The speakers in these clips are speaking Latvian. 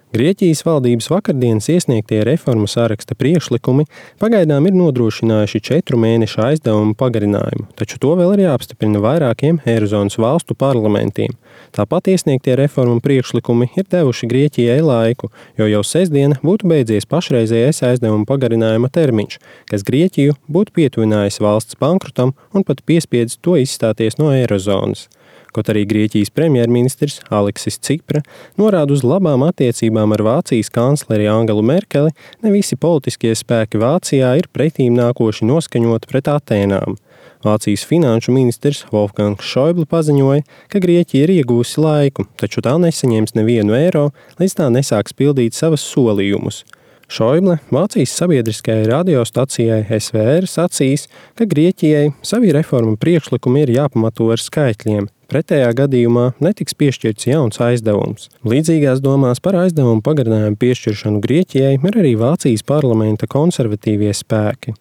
Grieķijas valdības vakardienas iesniegtie reformu saraksta priekšlikumi pagaidām ir nodrošinājuši 4 mēnešu aizdevumu pagarinājumu, taču to vēl ir jāapstiprina vairākiem Eirozonas valstu parlamentiem. Tāpat iesniegtie reformu priekšlikumi ir devuši Grieķijai laiku, jo jau sestdien būtu beidzies pašreizējais aizdevumu pagarinājuma termiņš, kas Grieķiju būtu pietuvinājis valsts bankrotam un pat piespiedis to izstāties no Eirozonas. Kaut arī Grieķijas premjerministrs Aleksis Cipra norāda uz labām attiecībām ar Vācijas kancleri Angelu Merkeli, ne visi politiskie spēki Vācijā ir pretīm nākoši noskaņoti pret Atēnām. Vācijas finanšu ministrs Wolfgangs Schäuble paziņoja, ka Grieķija ir iegūsi laiku, taču tā nesaņems nevienu eiro, līdz tā nesāks pildīt savas solījumus. Schäuble Vācijas sabiedriskajai radiostacijai SVR sacīs, ka Grieķijai savi reformu priekšlikumi ir jāpamato ar skaitļiem. Pretējā gadījumā netiks piešķirts jauns aizdevums. Līdzīgās domās par aizdevumu pagarinājumu piešķiršanu Grieķijai ir arī Vācijas parlamenta konservatīvie spēki.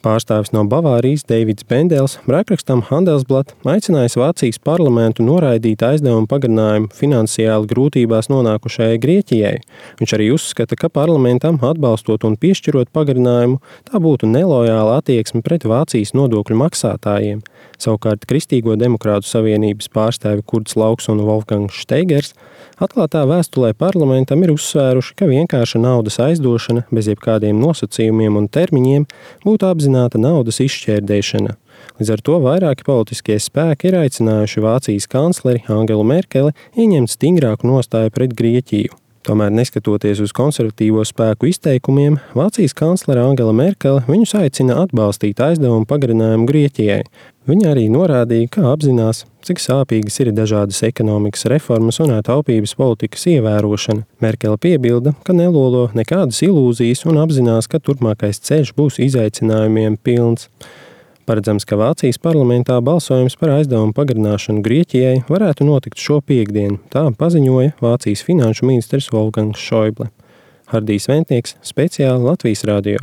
Pārstāvis no Bavārijas Deivids Bendels rakrakstam Handelsblatt aicinājis Vācijas parlamentu noraidīt aizdevumu pagarinājumu finansiāli grūtībās nonākušajai Grieķijai. Viņš arī uzskata, ka parlamentam atbalstot un piešķirot pagarinājumu, tā būtu nelojāla attieksme pret Vācijas nodokļu maksātājiem. Savukārt Kristīgo demokrātu savienības pārstāvi Kurts Lauks un Wolfgangs Steigers atklātā vēstulē parlamentam ir uzsvēruši, ka vienkārša naudas aizdošana bez jebkādiem nosacījumiem un termiņiem būtu apzināta naudas izšķērdēšana. Līdz ar to vairāki politiskie spēki ir aicinājuši Vācijas kancleri Angelu Merkeli ieņemt stingrāku nostāju pret Grieķiju. Tomēr, neskatoties uz konservatīvo spēku izteikumiem, Vācijas kanclere Angela Merkele viņus aicina atbalstīt aizdevumu pagarinājumu Grieķijai. Viņa arī norādīja, ka apzinās, cik sāpīgas ir dažādas ekonomikas reformas un taupības politikas ievērošana. Merkele piebilda, ka nelolo nekādas ilūzijas un apzinās, ka turpmākais ceļš būs izaicinājumiem pilns. Paredzams, ka Vācijas parlamentā balsojums par aizdevumu pagarināšanu Grieķijai varētu notikt šo piektdienu, tā paziņoja Vācijas finanšu ministrs Wolfgangs Schäuble. Hardijs Ventnieks, speciāli Latvijas radio.